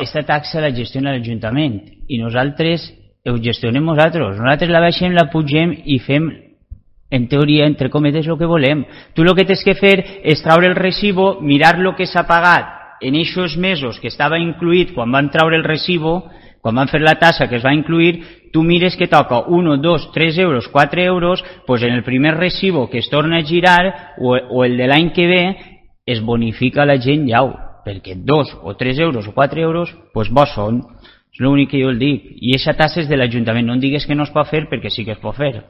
Aquesta taxa la gestiona l'Ajuntament i nosaltres ho gestionem nosaltres. Nosaltres la baixem, la pugem i fem, en teoria, entre cometes, el que volem. Tu el que tens que fer és treure el recibo, mirar el que s'ha pagat en aquests mesos que estava incluït quan van treure el recibo, quan van fer la tassa que es va incluir, tu mires que toca 1, 2, 3 euros, 4 euros, doncs en el primer recibo que es torna a girar o el de l'any que ve es bonifica la gent llau, perquè 2 o 3 euros o 4 euros, doncs bons són. És l'únic que jo el dic. I aquesta tassa és de l'Ajuntament. No em digues que no es pot fer perquè sí que es pot fer.